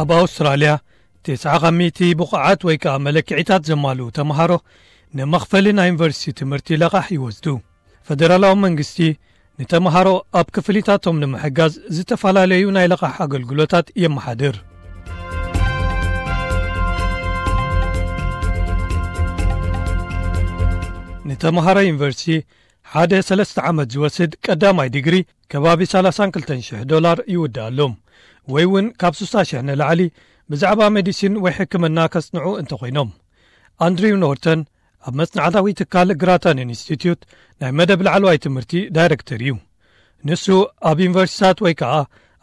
ኣብ ኣውስትራልያ፣ ተስዓ ካብ ሚእቲ ብቑዓት ወይ ከኣ መለክዒታት ዘማልኡ ተምሃሮ ንመኽፈሊ ናይ ዩኒቨርሲቲ ትምህርቲ ለቓሕ ይወስዱ። ፈደራላዊ መንግስቲ ንተምሃሮ ኣብ ክፍሊታቶም ንምሕጋዝ ዝተፈላለዩ ናይ ለቓሕ ኣገልግሎታት የመሓድር። ንተምሃሮ ዩኒቨርሲቲ ሓደ ሰለስተ ዓመት ዝወስድ ቀዳማይ ዲግሪ ከባቢ ሰላሳን ክልተን ሽሕ ዶላር ይውድኣሎም፣ ወይ እውን ካብ ስሳ ሽሕ ንላዕሊ ብዛዕባ ሜዲሲን ወይ ሕክምና ከጽንዑ እንተኾይኖም። ኣንድሪው ኖርተን ኣብ መጽናዕታዊ ትካል ግራታን ኢንስቲትዩት ናይ መደብ ላዕለዋይ ትምህርቲ ዳይረክተር እዩ። ንሱ ኣብ ዩኒቨርሲታት ወይ ከኣ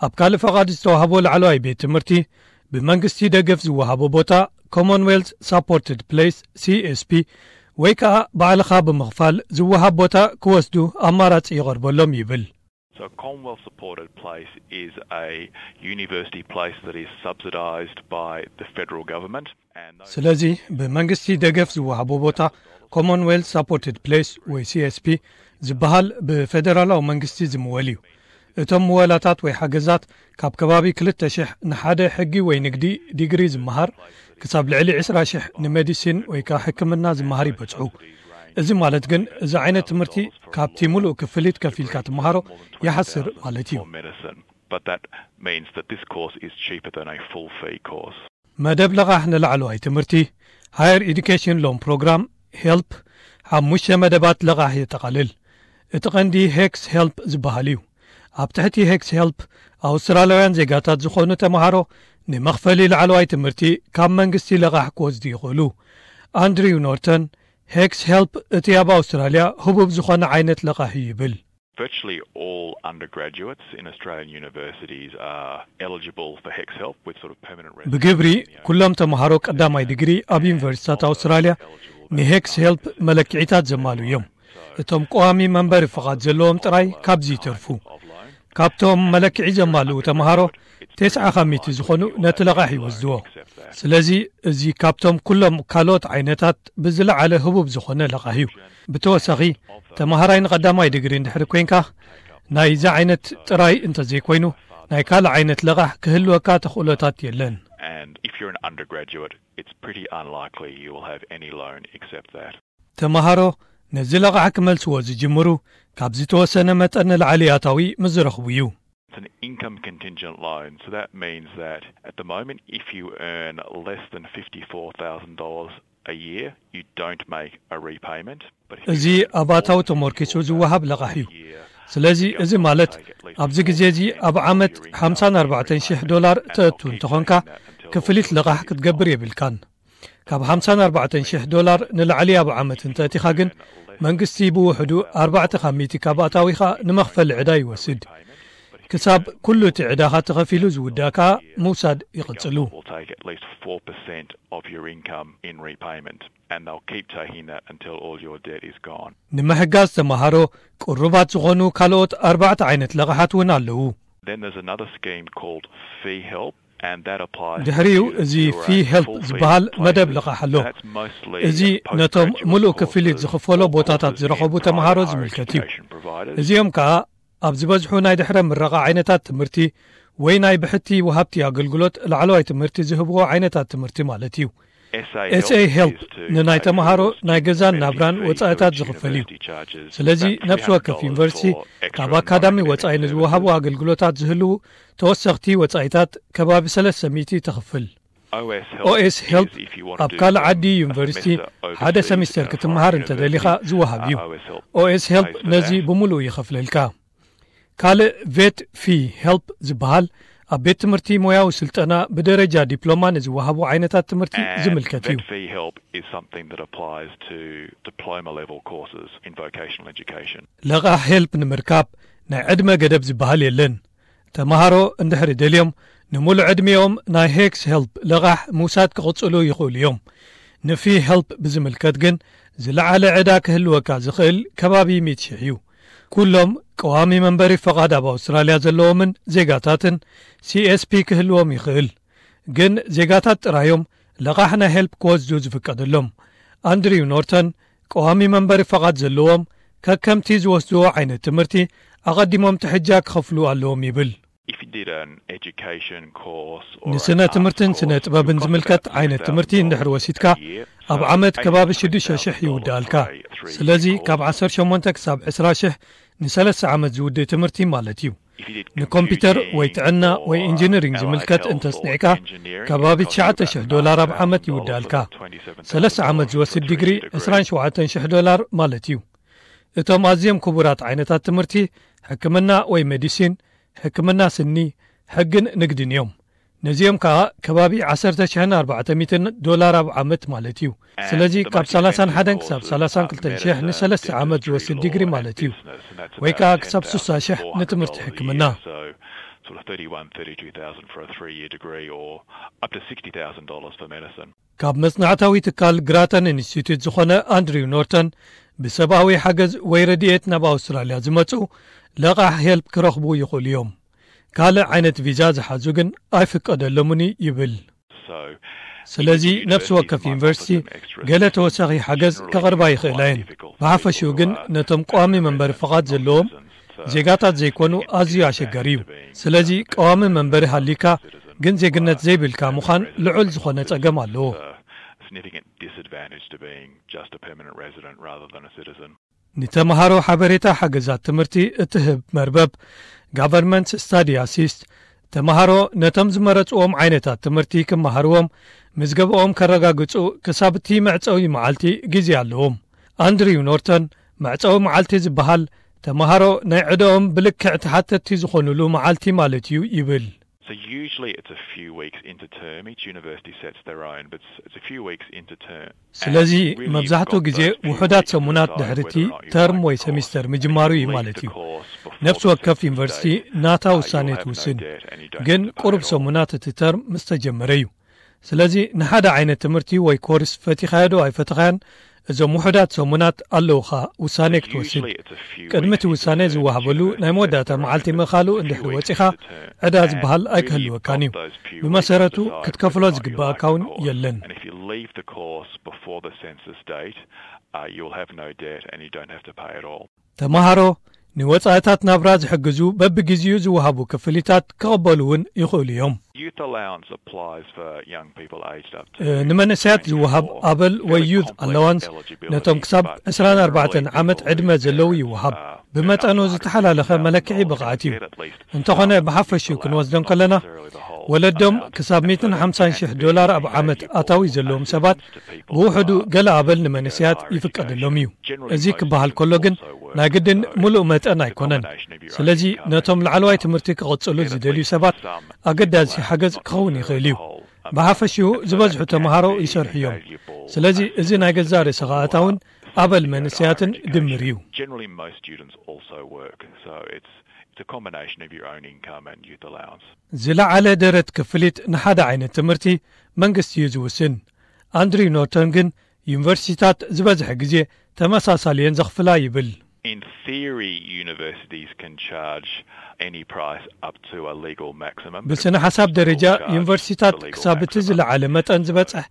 ኣብ ካልእ ፈቓድ ዝተዋህቦ ላዕለዋይ ቤት ትምህርቲ ብመንግስቲ ደገፍ ዝወሃቦ ቦታ፣ ኮመንዌልዝ ሳፖርትድ ፕሌስ፣ ሲኤስፒ፣ ወይ ከኣ ባዕልኻ ብምኽፋል ዝወሃብ ቦታ ክወስዱ ኣማራጺ ይቐርበሎም ይብል። So a Commonwealth supported place is a university place that is subsidised by the federal government. ስለዚ ብመንግስቲ ደገፍ ዝወሃቦ ቦታ፣ ኮመንዌልዝ ሳፖርትድ ፕሌስ ወይ ሲኤስፒ ዝበሃል ብፌደራላዊ መንግስቲ ዝምወል እዩ። እቶም ምወላታት ወይ ሓገዛት ካብ ከባቢ ክልተ ሽሕ ንሓደ ሕጊ ወይ ንግዲ ዲግሪ ዝመሃር ክሳብ ልዕሊ ዕስራ ሽሕ ንሜዲሲን ወይ ከኣ ሕክምና ዝመሃር ይበጽሑ። እዚ ማለት ግን እዚ ዓይነት ትምህርቲ ካብቲ ሙሉእ ክፍሊት ከፊልካ ትመሃሮ ይሓስር ማለት እዩ። But that means that this course is cheaper than a full fee course. መደብ ለቓሕ ንላዕለዋይ ትምህርቲ፣ ሃየር ኤዱኬሽን ሎም ፕሮግራም፣ ሄልፕ፣ ሓሙሽተ መደባት ለቓሕ የጠቓልል። እቲ ቀንዲ ሄክስ ሄልፕ ዝበሃል እዩ። ኣብ ትሕቲ ሄክስ ሄልፕ፣ ኣውስትራልያውያን ዜጋታት ዝኾኑ ተምሃሮ ንመኽፈሊ ላዕለዋይ ትምህርቲ ካብ መንግስቲ ለቓሕ ክወስዱ ይኽእሉ። ኣንድሪው ኖርተን፣ ሄክስ ሄልፕ እቲ ኣብ ኣውስትራልያ ህቡብ ዝኾነ ዓይነት ለቓሕ እዩ ይብል። Virtually all undergraduates in Australian universities are eligible for HECS help with sort of permanent residence. ብግብሪ ኩሎም ተምሃሮ ቀዳማይ ዲግሪ ኣብ ዩኒቨርሲታት ኣውስትራልያ ንሄክስ ሄልፕ መለክዒታት ዘማሉ እዮም። እቶም ቀዋሚ መንበሪ ፍቓድ ዘለዎም ጥራይ ካብዚ ይተርፉ። ካብቶም መለክዒ ዘማልኡ ተምሃሮ፣ ተስዓ ካብ ሚእቲ ዝኾኑ ነቲ ለቓሕ ይወስድዎ። ስለዚ እዚ ካብቶም ኩሎም ካልኦት ዓይነታት ብዝለዓለ ህቡብ ዝኾነ ለቓሕ እዩ። ብተወሳኺ፣ ተምሃራይ ንቐዳማይ ዲግሪ እንድሕሪ ኮይንካ፣ ናይዚ ዓይነት ጥራይ እንተዘይኮይኑ፣ ናይ ካልእ ዓይነት ለቓሕ ክህልወካ ተኽእሎታት የለን። And if you're an undergraduate, it's pretty unlikely you will have any loan except that. ተምሃሮ ነዚ ለቓሕ ክመልስዎ ዝጅምሩ ካብ ዝተወሰነ መጠን ንላዕሊ ኣታዊ ምስ ዝረኽቡ እዩ። It's an income contingent loan, so that means that at the moment, if you earn less than fifty-four thousand dollars a year, you don't make a repayment. But if you እዚ earn ኣብ ኣታዊ ተመርኪሱ ዝወሃብ ለቓሕ እዩ። ስለዚ እዚ ማለት ኣብዚ ግዜ እዚ ኣብ ዓመት ሓምሳን ኣርባዕተን ሽሕ ዶላር ተእቱ እንተኾንካ፣ ክፍሊት ለቓሕ ክትገብር የብልካን። ካብ ሓምሳን ኣርባዕተን ሽሕ ዶላር ንላዕሊ ኣብ ዓመት እንተእቲኻ ግን፣ መንግስቲ ብውሕዱ ኣርባዕተ ካብ ሚእቲ ካብ ኣታዊኻ ንመኽፈሊ ዕዳ ይወስድ። ክሳብ ኩሉ እቲ ዕዳኻ ተኸፊሉ ዝውዳእ ከኣ ምውሳድ ይቕጽሉ። Will take at least four percent of your income in repayment, and they'll keep taking that until all your debt is gone. ንምሕጋዝ ተምሃሮ ቅሩባት ዝኾኑ ካልኦት ኣርባዕተ ዓይነት ለቓሓት እውን ኣለዉ። Then there's another scheme called Fee Help, and that applies ድሕሪኡ to እዚ students who are ፊ at ሄልፕ full fee ዝበሃል መደብ places. ለቓሕ ኣሎ። That's mostly እዚ postgraduate ነቶም ሙሉእ courses ክፍሊት or ዝኽፈሎ ቦታታት courses ዝረኸቡ in ተምሃሮ private higher ዝምልከት እዩ። education providers. እዚኦም ከኣ ኣብ ዝበዝሑ ናይ ድሕረ ምረቓ ዓይነታት ትምህርቲ ወይ ናይ ብሕቲ ወሃብቲ ኣገልግሎት ላዕለዋይ ትምህርቲ ዝህብዎ ዓይነታት ትምህርቲ ማለት እዩ። SA ኤስኤ ሄልፕ is to ንናይ pay ተምሃሮ for ናይ students' ገዛን tuition ናብራን fees, ወጻኢታት so ዝኽፈል እዩ። university charges ስለዚ about ነፍሲ ወከፍ three hundred dollars ዩኒቨርሲቲ for extra ካብ ኣካዳሚ non-academic ወጻኢ services. ንዝወሃቡ ኣገልግሎታት ዝህልዉ ተወሰኽቲ ወጻኢታት ከባቢ ሰለስተ ሚእቲ ተኽፍል። OS ኦኤስ Help ሄልፕ is if you want to ኣብ do ካልእ a ዓዲ ዩኒቨርሲቲ semester ሓደ overseas ሰሚስተር from ክትመሃር foreign እንተደሊኻ university, ዝወሃብ እዩ። uh, OS Help ኦኤስ ሄልፕ pays for ነዚ that. ብምሉእ ይኸፍለልካ። ካልእ ቬት ፊ ሄልፕ ዝበሃል ኣብ ቤት ትምህርቲ ሞያዊ ስልጠና ብደረጃ ዲፕሎማ ንዝወሃቡ ዓይነታት ትምህርቲ And ዝምልከት እዩ። Vet Fee Help is something that applies to diploma level courses in vocational education. ለቓሕ ሄልፕ ንምርካብ ናይ ዕድመ ገደብ ዝበሃል የለን። ተምሃሮ እንድሕሪ ደልዮም፣ ንምሉእ ዕድሚኦም ናይ ሄክስ ሄልፕ ለቓሕ ምውሳድ ክቕጽሉ ይኽእሉ እዮም። ንፊ ሄልፕ ብዝምልከት ግን፣ ዝለዓለ ዕዳ ክህልወካ ዝኽእል ከባቢ ሚእቲ ሽሕ እዩ። ኩሎም ቀዋሚ መንበሪ ፈቓድ ኣብ ኣውስትራልያ ዘለዎምን ዜጋታትን ሲኤስፒ ክህልዎም ይኽእል። ግን ዜጋታት ጥራዮም ለቓሕ ናይ ሄልፕ ክወስዱ ዝፍቀደሎም። ኣንድሪው ኖርተን፣ ቀዋሚ መንበሪ ፈቓድ ዘለዎም ከከምቲ ዝወስድዎ ዓይነት ትምህርቲ ኣቐዲሞም ትሕጃ ክኸፍሉ ኣለዎም ይብል። ንስነ ትምህርትን ስነ ጥበብን ዝምልከት ዓይነት ትምህርቲ እንድሕር ወሲድካ፣ ኣብ ዓመት ከባቢ ሽዱሽተ ሽሕ ይውዳልካ። ስለዚ ካብ ዓሰርተ ሸሞንተ ክሳብ ዕስራ ሽሕ ንሰለስተ ዓመት ዝውድእ ትምህርቲ ማለት እዩ። ንኮምፒውተር ወይ ጥዕና ወይ ኢንጂነሪንግ ዝምልከት እንተጽኒዕካ፣ ከባቢ ትሽዓተ ሽሕ ዶላር ኣብ ዓመት ይውዳልካ። ሰለስተ ዓመት ዝወስድ ዲግሪ ዕስራን ሸውዓተን ሽሕ ዶላር ማለት እዩ። እቶም ኣዝዮም ክቡራት ዓይነታት ትምህርቲ፣ ሕክምና ወይ ሜዲሲን፣ ሕክምና ስኒ፣ ሕግን ንግድን እዮም። ነዚኦም ከኣ ከባቢ ዓሰርተ ሽሕን ኣርባዕተ ሚእትን ዶላር ኣብ ዓመት ማለት እዩ። ስለዚ ካብ ሰላሳን ሓደን ክሳብ ሰላሳን ክልተን ሽሕ ንሰለስተ ዓመት ዝወስድ ዲግሪ ማለት እዩ። ወይ ከኣ ክሳብ ስሳ ሽሕ ንትምህርቲ ሕክምና። ካብ መጽናዕታዊ ትካል ግራተን ኢንስቲትዩት ዝኾነ ኣንድሪው ኖርተን፣ ብሰብኣዊ ሓገዝ ወይ ረድኤት ናብ ኣውስትራልያ ዝመጹ ለቓሕ ሄልፕ ክረኽቡ ይኽእሉ እዮም። ካልእ ዓይነት ቪዛ ዝሓዙ ግን ኣይፍቀደሎምን ይብል። ስለዚ ነፍሲ ወከፍ ዩኒቨርሲቲ ገለ ተወሳኺ ሓገዝ ከቕርባ ይኽእላ እየን። ብሓፈሽኡ ግን ነቶም ቀዋሚ መንበሪ ፍቓድ ዘለዎም ዜጋታት ዘይኮኑ ኣዝዩ ኣሸጋሪ እዩ። ስለዚ ቀዋሚ መንበሪ ሃሊካ ግን ዜግነት ዘይብልካ ምዃን ልዑል ዝኾነ ጸገም ኣለዎ። Significant disadvantage to being just a permanent resident rather than a citizen. ንተምሃሮ ሓበሬታ ሓገዛት ትምህርቲ እትህብ መርበብ ጋቨርንመንት ስታዲ ኣሲስት፣ ተምሃሮ ነቶም ዝመረጽዎም ዓይነታት ትምህርቲ ክመሃርዎም ምዝገባኦም ከረጋግጹ ክሳብ እቲ መዕጸዊ መዓልቲ ግዜ ኣለዎም። ኣንድሪው ኖርተን፣ መዕጸዊ መዓልቲ ዝበሃል ተምሃሮ ናይ ዕደኦም ብልክዕ ተሓተትቲ ዝኾኑሉ መዓልቲ ማለት እዩ ይብል። So usually it's a few weeks into term. Each university sets their own, but it's, it's a few weeks into term. ስለዚ መብዛሕትኡ ግዜ ውሑዳት ሰሙናት ድሕሪቲ ተርም ወይ ሰሚስተር ምጅማሩ እዩ ማለት እዩ። ነፍሲ ወከፍ ዩኒቨርሲቲ ናታ ውሳኔ ትውስን፣ ግን ቁሩብ ሰሙናት እቲ ተርም ምስ ተጀመረ እዩ። ስለዚ ንሓደ ዓይነት ትምህርቲ ወይ ኮርስ ፈቲኻዮ ዶ ኣይፈተኻዮን፣ እዞም ውሑዳት ሰሙናት ኣለውኻ ውሳኔ ክትወስድ። ቅድሚ እቲ ውሳኔ ዝወሃበሉ ናይ መወዳእታ መዓልቲ ምእኻሉ እንድሕሪ ወጺኻ፣ ዕዳ ዝበሃል ኣይክህልወካን እዩ። ብመሰረቱ ክትከፍሎ ዝግባኣካ እውን የለን። And if you leave the course before the census date, uh, you'll have no debt and you don't have to pay at all. ተምሃሮ ንወጻኢታት ናብራ ዝሕግዙ በብግዜኡ ዝወሃቡ ክፍሊታት ክቕበሉ እውን ይኽእሉ እዮም። Youth allowance applies for young people aged up to ንመንእሰያት ዝወሃብ ኣበል ወይ ዩዝ ኣለዋንስ ነቶም ክሳብ ዕስራን ኣርባዕተን ዓመት ዕድመ ዘለዉ ይወሃብ። ብመጠኑ ዝተሓላለኸ መለክዒ ብቕዓት እዩ። እንተኾነ ብሓፈሽኡ ክንወስዶ እንከለና፣ ወለዶም ክሳብ ሚእትን ሓምሳን ሽሕ ዶላር ኣብ ዓመት ኣታዊ ዘለዎም ሰባት ብውሕዱ ገለ ኣበል ንመንእሰያት ይፍቀደሎም እዩ። እዚ ክበሃል ከሎ ግን ናይ ግድን ምሉእ መጠን ኣይኮነን። ስለዚ ነቶም ላዕለዋይ ትምህርቲ ክቕጽሉ ዝደልዩ ሰባት ኣገዳሲ ሓገዝ ክኸውን ይኽእል እዩ። ብሓፈሽኡ ዝበዝሑ ተምሃሮ ይሰርሑ እዮም። ስለዚ እዚ ናይ ገዛእ ርእስኻ ኣታውን ኣበል መንእሰያትን ድምር እዩ። Generally, most students also work, so it's, it's a combination of your own income and youth allowance. ዝለዓለ ደረት ክፍሊት ንሓደ ዓይነት ትምህርቲ መንግስቲ እዩ ዝውስን። ኣንድሪው ኖርተን ግን ዩኒቨርሲቲታት ዝበዝሐ ግዜ ተመሳሳሊ እየን ዘኽፍላ ይብል። In theory, universities can charge any price up to a legal maximum. ብስነ ሓሳብ ደረጃ ዩኒቨርሲቲታት ክሳብ እቲ ዝለዓለ መጠን ዝበጽሕ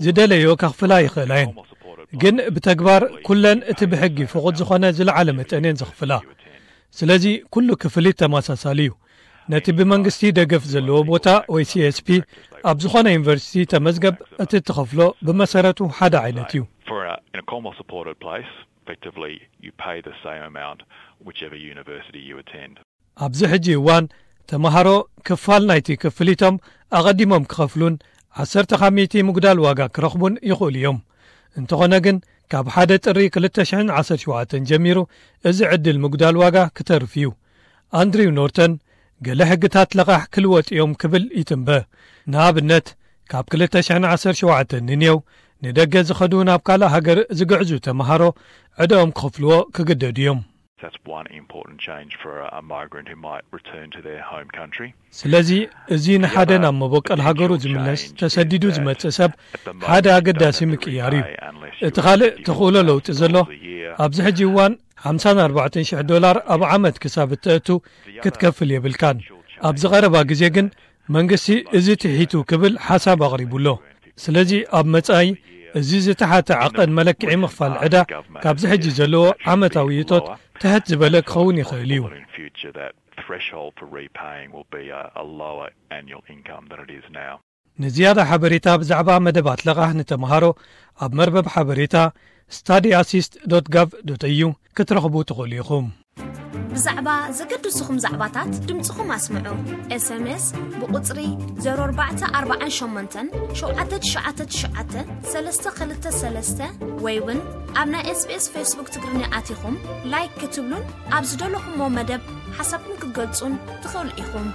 ዝደለዮ ከኽፍላ ይኽእላ እየን። ግን ብተግባር ኩለን እቲ ብሕጊ ፍቑድ ዝኾነ ዝለዓለ መጠን እየን ዘኽፍላ። ስለዚ ኩሉ ክፍሊት ተመሳሳሊ እዩ። ነቲ ብመንግስቲ ደገፍ ዘለዎ ቦታ ወይ ሲ ኤስ ፒ ኣብ ዝኾነ ዩኒቨርሲቲ ተመዝገብ፣ እቲ እትኸፍሎ ብመሰረቱ ሓደ ዓይነት እዩ። For a, in a Commonwealth supported place, effectively you pay the same amount whichever university you attend. ኣብዚ ሕጂ እዋን ተምሃሮ ክፋል ናይቲ ክፍሊቶም ኣቐዲሞም ክኸፍሉን ዓሰርተ ካብ ሚእቲ ምጉዳል ዋጋ ክረኽቡን ይኽእሉ እዮም። እንተኾነ ግን ካብ ሓደ ጥሪ ክልተ ሽሕን ዓሰርተ ሸውዓተን ጀሚሩ እዚ ዕድል ምጉዳል ዋጋ ክተርፍ እዩ። ኣንድሪው ኖርተን ገለ ሕግታት ለቓሕ ክልወጥ እዮም ክብል ይትንበ። ንኣብነት ካብ ክልተ ሽሕን ዓሰርተ ሸውዓተን ንኔው ንደገ ዝኸዱ ናብ ካልእ ሃገር ዝግዕዙ ተምሃሮ ዕዳኦም ክኸፍልዎ ክግደዱ እዮም። That's one important change for a, a migrant who might return to their home country. ስለዚ እዚ ንሓደ ናብ መበቀል ሃገሩ ዝምለስ ተሰዲዱ ዝመጽእ ሰብ ሓደ ኣገዳሲ ምቅያር እዩ። እቲ ካልእ ተኽእሎ ለውጢ ዘሎ ኣብዚ ሕጂ እዋን ሓምሳን ኣርባዕተን ሽሕ ዶላር ኣብ ዓመት ክሳብ እተእቱ ክትከፍል የብልካን። ኣብዚ ቀረባ ግዜ ግን መንግስቲ እዚ ትሒቱ ክብል ሓሳብ ኣቕሪቡ ኣሎ። ስለዚ ኣብ መጻኢ እዚ ዝተሓተ ዓቐን መለክዒ ምኽፋል ዕዳ ካብዚ ሕጂ ዘለዎ ዓመታዊ እቶት ትሕት ዝበለ ክኸውን ይኽእል እዩ። threshold for repaying will be a, a lower annual income than it is now. ንዝያዳ ሓበሬታ ብዛዕባ መደባት ለቓሕ ንተምሃሮ ኣብ መርበብ ሓበሬታ study assist dot gov dot au ክትረኽቡ ትኽእሉ ኢኹም። ብዛዕባ ዘገድስኹም ዛዕባታት ድምፅኹም ኣስምዑ። ኤስኤምኤስ ብቁፅሪ ዜሮ ኣርባዕተ ኣርባዓን ሸሞንተን ሸውዓተ ትሽዓተ ትሽዓተ ሰለስተ ክልተ ሰለስተ ወይ እውን ኣብ ናይ ኤስቢኤስ ፌስቡክ ትግርኛ ኣቲኹም ላይክ ክትብሉን ኣብ ዝደለኹሞ መደብ ሓሳብኩም ክትገልጹን ትኽእሉ ኢኹም።